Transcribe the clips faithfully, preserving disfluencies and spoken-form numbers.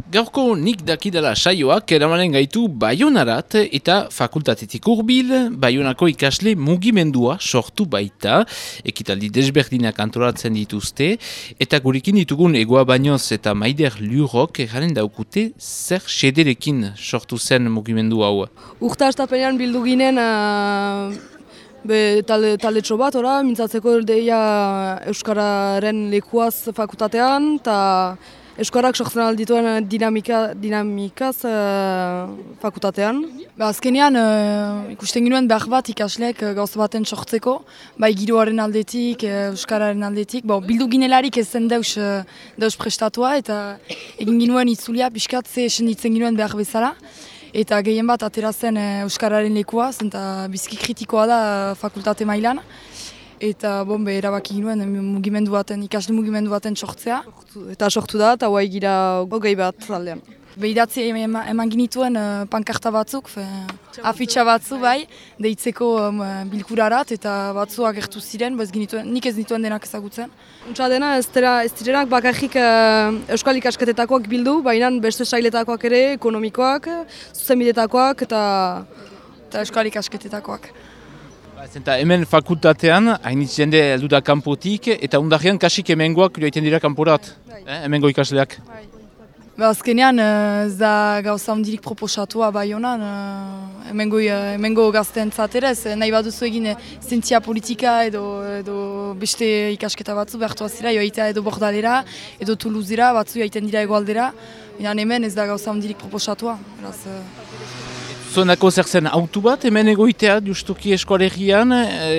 Gaurko nik dakidala saioak eramanen gaitu Baionarat eta fakultatetik hurbil, Baionako ikasle mugimendua sortu baita, ekitaldi desberdinak antolatzen dituzte, eta gurekin ditugun Egoa Bañoz eta Maider Lurok eraren daukute zer xederekin sortu zen mugimendu hau. Urta astapenean bildu ginen uh, be, talde, talde txo bat, ora, mintzatzeko deia Euskararen lekuaz fakultatean, eta Euskarak sortzen aldituen dinamika, dinamikaz uh, fakultatean. Ba, azkenean uh, ikusten ginoen behar bat ikasleek uh, gauza baten sortzeko, bai giroaren aldetik, uh, Euskararen aldetik. Bo, bildu ginelarik ez zen deus, uh, deus prestatua eta egin ginoen itzulia pixkat ze esenditzen ginoen behar bezala. Eta gehien bat atera zen uh, Euskararen lekua, zenta bizki kritikoa da uh, fakultate mailan. Eta bombe erabaki ginoen mugimendu baten, ikasle mugimendu baten sortzea. Eta sortu da, eta guai gira hogei bat aldean. Behidatzi eman, eman ginituen uh, pankarta batzuk, fe, afitxa batzu bai, deitzeko um, bilkurarat eta batzu agertu ziren, bez ginituen, nik ez dituen denak ezagutzen. Untsa dena ez, tera, ez direnak bakarrik uh, euskal ikasketetakoak bildu, baina beste sailetakoak ere, ekonomikoak, zuzenbidetakoak eta, eta euskal ikasketetakoak. Zenta hemen fakultatean, hainitz jende heldu da kanpotik, eta undarrean kasik hemengoak joaiten dira kanporat, eh, hemengo ikasleak. Ba, azkenean ez da gauza hundirik proposatua Baionan, hemengo, hemengo gazteentzat ere, nahi baduzu egin zientzia politika edo, edo beste ikasketa batzu behartu azira, joaitea edo Bordalera, edo Toulousera, batzu joaiten dira egoaldera, hemen ez da gauza hundirik proposatua. Beraz, Zonako zer zen autu bat, hemen egoitea justuki eskoalegian,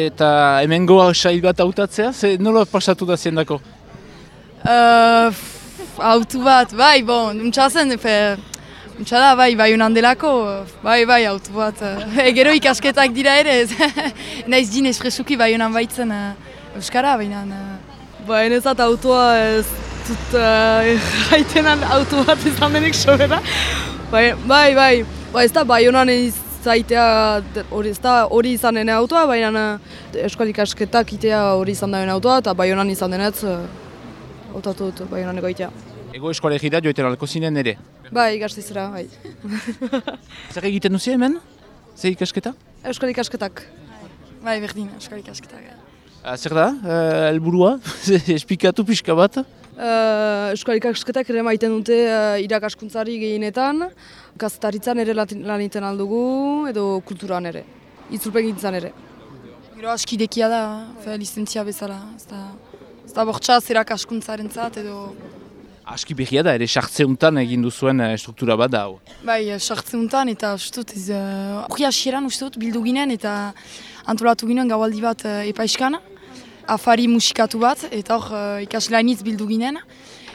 eta hemengo sail bat hautatzea, ze nola pasatu da ziendako? Uh, autu bat, bai, bon, nuntza zen, nuntza da, bai, bai honan delako, bai, bai, autu bat. E, gero ikasketak dira ere, naiz din espresuki bai honan baitzen uh, Euskara, baina. Uh, ba, enezat autua ez dut gaitenan uh, autu bat izan denek sobera. Bai, bai, bai. Ba, ez da Baionan izaitea hori hori izan dene autoa, baina euskal ikasketak itea hori izan dene autoa, eta Baionan izan denetz hautatu dut Baionan egoitea. Ego eskoalegira joetan alko zinen ere? Bai, gaztizera, bai. Zer egiten duzi hemen? Zer ikasketa? Euskal ikasketak. Bai, berdin, euskal ikasketak. Zer da, helburua? Esplikatu pixka bat? Uh, Euskal ikasketak ere maiten dute uh, irakaskuntzari gehienetan, kazetaritzan ere lan egiten aldugu, edo kulturan ere, itzulpen gintzan ere. Gero askidekia da, fe, lizentzia bezala, ez da, ez da bortxaz irakaskuntzaren zat, edo... Aski behia da, ere sartzeuntan egin duzuen struktura bat da. Bai, sartzeuntan eta ustut, ez hori uh, asieran ustut bildu ginen eta antolatu ginen gaualdi bat uh, epaiskan. Afari musikatu bat, eta hor uh, ikaslainitz bildu ginen.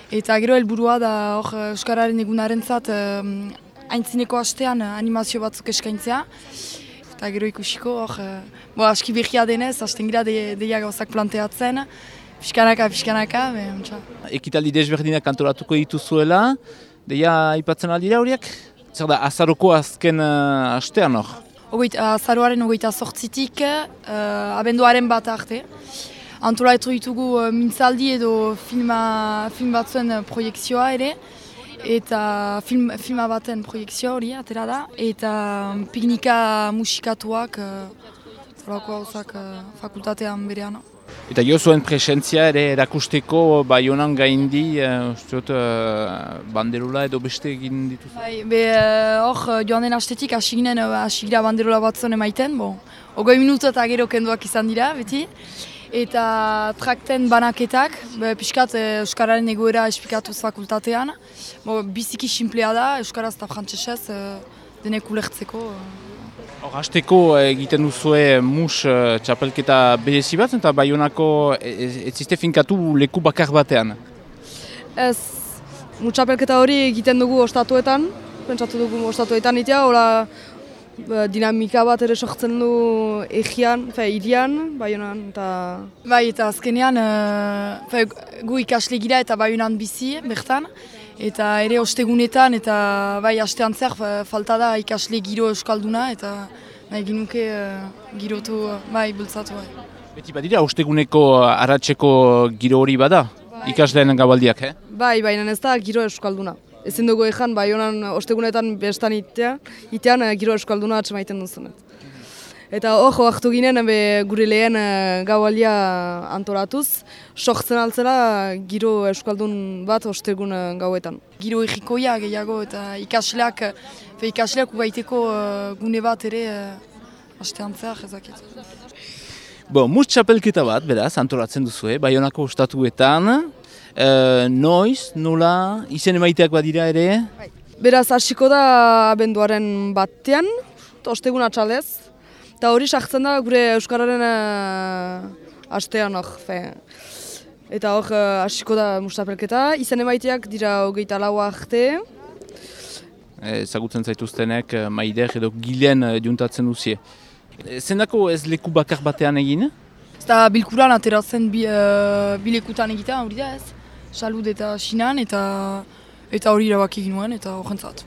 Eta gero helburua da hor Euskararen egunaren zat um, aintzineko astean uh, animazio batzuk eskaintzea. Eta gero ikusiko hor, uh, bo, aski behia denez, hasten gira de, deia gauzak planteatzen. Piskanaka, piskanaka, behantza. Ekitaldi desberdinak antolatuko dituzuela, deia aipatzen aldira horiek? Zer da, azaroko azken uh, astean hor? Ogoit, azaroaren ogoita sortzitik, uh, abenduaren bat arte. Antolatu ditugu uh, mintzaldi edo filma, film batzuen uh, proiektzioa ere, eta film, filma baten proiektzioa hori atera da, eta um, piknika musikatuak uh, uh, fakultatean berean. Eta jo zuen presentzia ere erakusteko Baionan gaindi, uh, uh, banderula edo beste egin dituzu? Bai, be hor uh, joan den astetik hasi ginen uh, hasi gira banderula batzuen emaiten, bon, ogoi minutu eta gero kenduak izan dira, beti. Eta trakten banaketak, be, pixkat Euskararen egoera esplikatuz fakultatean. Bo, biziki simplea da, Euskaraz eta frantsesez uh, denek ulertzeko. Hor, hasteko egiten duzue mus uh, txapelketa berezi bat, eta Baionako ez ziste finkatu leku bakar batean? Ez, mus txapelketa hori egiten dugu ostatuetan, pentsatu dugu ostatuetan itea, hola dinamika bat ere sortzen du egian, fe, irian, Baionan, eta... Bai, eta azkenean, uh, fe, gu ikasle gira eta Baionan bizi, bertan, eta ere ostegunetan, eta bai, astean zer, falta da ikasle giro euskalduna, eta nahi ginuke uh, girotu, uh, bai, bultzatu. Bai. Beti badira, osteguneko arratseko giro hori bada, bai. Ikasleen gaualdiak, eh? Bai, baina ez da giro euskalduna. Ezin dugu ezan, bai honan ostegunetan bestan itea, itean giro euskalduna atxemaiten duzunet. Eta hor, oaktu ginen be, gure lehen gaualdia antoratuz, sortzen altzela giro euskaldun bat ostegun gauetan. Giro egikoia gehiago eta ikasleak, fe ikasleak ugaiteko uh, gune bat ere uh, astean zehar ezakit. Bo, mus txapelketa bat, beraz, antolatzen duzu, eh? Baionako ostatuetan, uh, noiz, nola, izen emaiteak badira ere? Beraz, hasiko da abenduaren batean, ostegun atxalez. Eta hori sartzen da gure Euskararen uh, astean hor. Eta hor uh, hasiko da mustapelketa. Izen emaiteak dira hogeita lau arte. Ezagutzen zaituztenek Maider edo Gilen juntatzen duzie. Zendako ez leku bakar batean egin? Ez da bilkuran ateratzen bi, uh, bilekutan egiten, hori da ez. Salud eta Sinan eta eta hori irabak egin nuen eta horrentzat.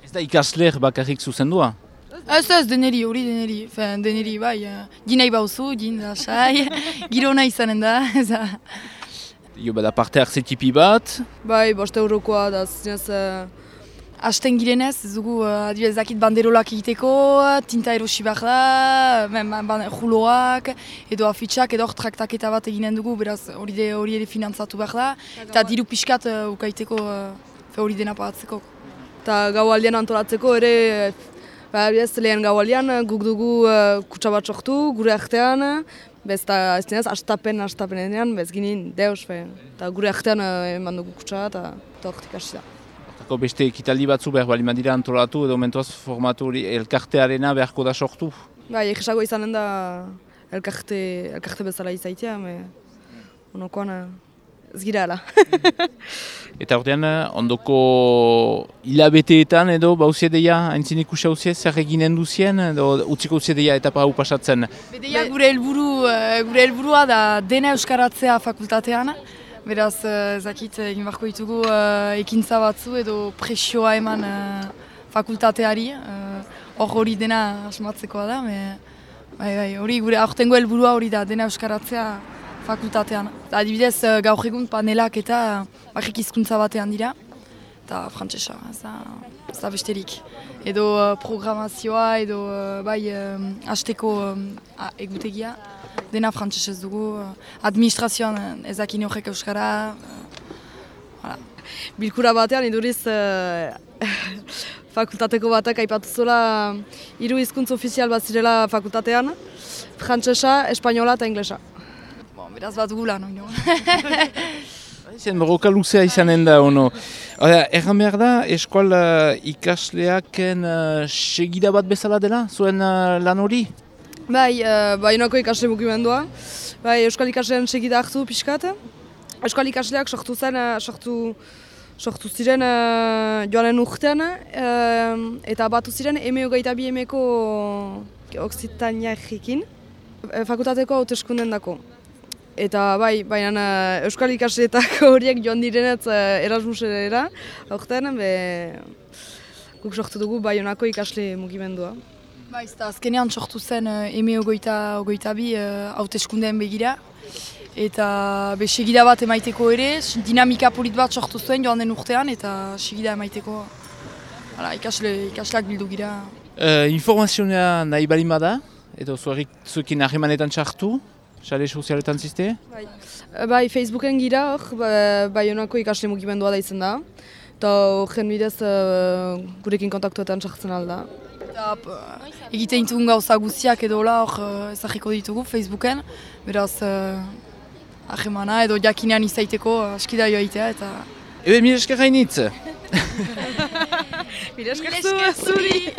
Ez da ikasler bakarrik zuzendua? Ez ez, deneri, hori deneri, Fen, deneri bai, uh, ginei bauzu, gin da, sai, girona izanen da, eza. Jo, bada parte hartze tipi bat? Bai, boste eurokoa da, zinez... Uh... Asten girenez, ez dugu, uh, adibidez dakit banderolak egiteko, tinta erosi behar da, juloak, edo afitxak, edo traktaketa bat eginen dugu, beraz hori de, hori ere finantzatu behar da, eta diru pixkat uh, ukaiteko, uh, hori dena pagatzeko. Eta gaualdian antolatzeko ere, Ba, ez lehen gaualdian guk dugu uh, kutsa bat sortu, gure artean, bez eta ez dinez, astapen, astapenean, bez ginen deus, eta gure artean uh, eman dugu kutsa eta hortik hasi da. Hortako beste ekitaldi batzu behar bali madira antolatu edo mentuaz formatu hori elkartearena beharko da sortu? Ba, egisago izanen da elkarte, elkarte bezala izaitea, me onokoan uh, ez gira ala. Eta ordean, ondoko hilabeteetan edo bauzie deia, haintzin ikusi hauzie, zer eginen duzien, edo utziko utzia deia etapa hau pasatzen? Bedeia gure helburu, gure helburua da dena euskaratzea fakultatean, beraz ezakit egin beharko ditugu ekintza batzu edo presioa eman fakultateari, hor hori dena asmatzekoa da, bai, bai, hori gure aurtengo helburua hori da dena euskaratzea fakultatean. Adibidez, gaur egun panelak eta barrik hizkuntza batean dira, eta frantsesa, ez da besterik. Edo uh, programazioa, edo uh, bai um, hasteko um, egutegia, dena frantsesez dugu. Uh, administrazioan ezakin horrek euskara. Uh, voilà. Bilkura batean iduriz uh, fakultateko batak aipatu zuela hiru hizkuntza ofizial bat zirela fakultatean, frantsesa, espainola eta inglesa. Beraz bat gula, no? Zen borroka luzea izanen da, ono. Erran behar da, eskual uh, ikasleaken uh, segida bat bezala dela, zuen uh, lan hori? Bai, uh, Baionako ikasle mugimendua. Bai, euskal ikasleen segida hartu pixkat. Euskal ikasleak sortu zen, uh, sortu, sortu ziren uh, joanen urtean, uh, eta batu ziren eme hogeita bi emeko Oksitaniarekin, fakultateko hauteskunden dako. Eta bai, baina euskal ikasleetako horiek joan direnetz Erasmusera, aurten, be, guk sortu dugu Baionako ikasle mugimendua. Ba, ez da, azkenean sortu zen eme hogeita bi hauteskundeen begira. Eta be, segida bat emaiteko ere, dinamika polit bat sortu zuen joan den urtean, eta segida emaiteko hala, ikasle, ikasleak bildu gira. Uh, informazioa nahi balin bada, edo zuekin harremanetan txartu? Sare sozialetan ziste? Bai, bai Facebooken gira hor, Baionako ikasle mugimendua da izan da. Eta horren bidez uh, gurekin kontaktuetan sartzen alda. Eta egiten ditugun gauza guztiak edo hola hor ezagiko ditugu Facebooken. Beraz, ahemana edo jakinean izaiteko askida joaitea eta... Ebe, mire esker hainitz! Mire esker zuri!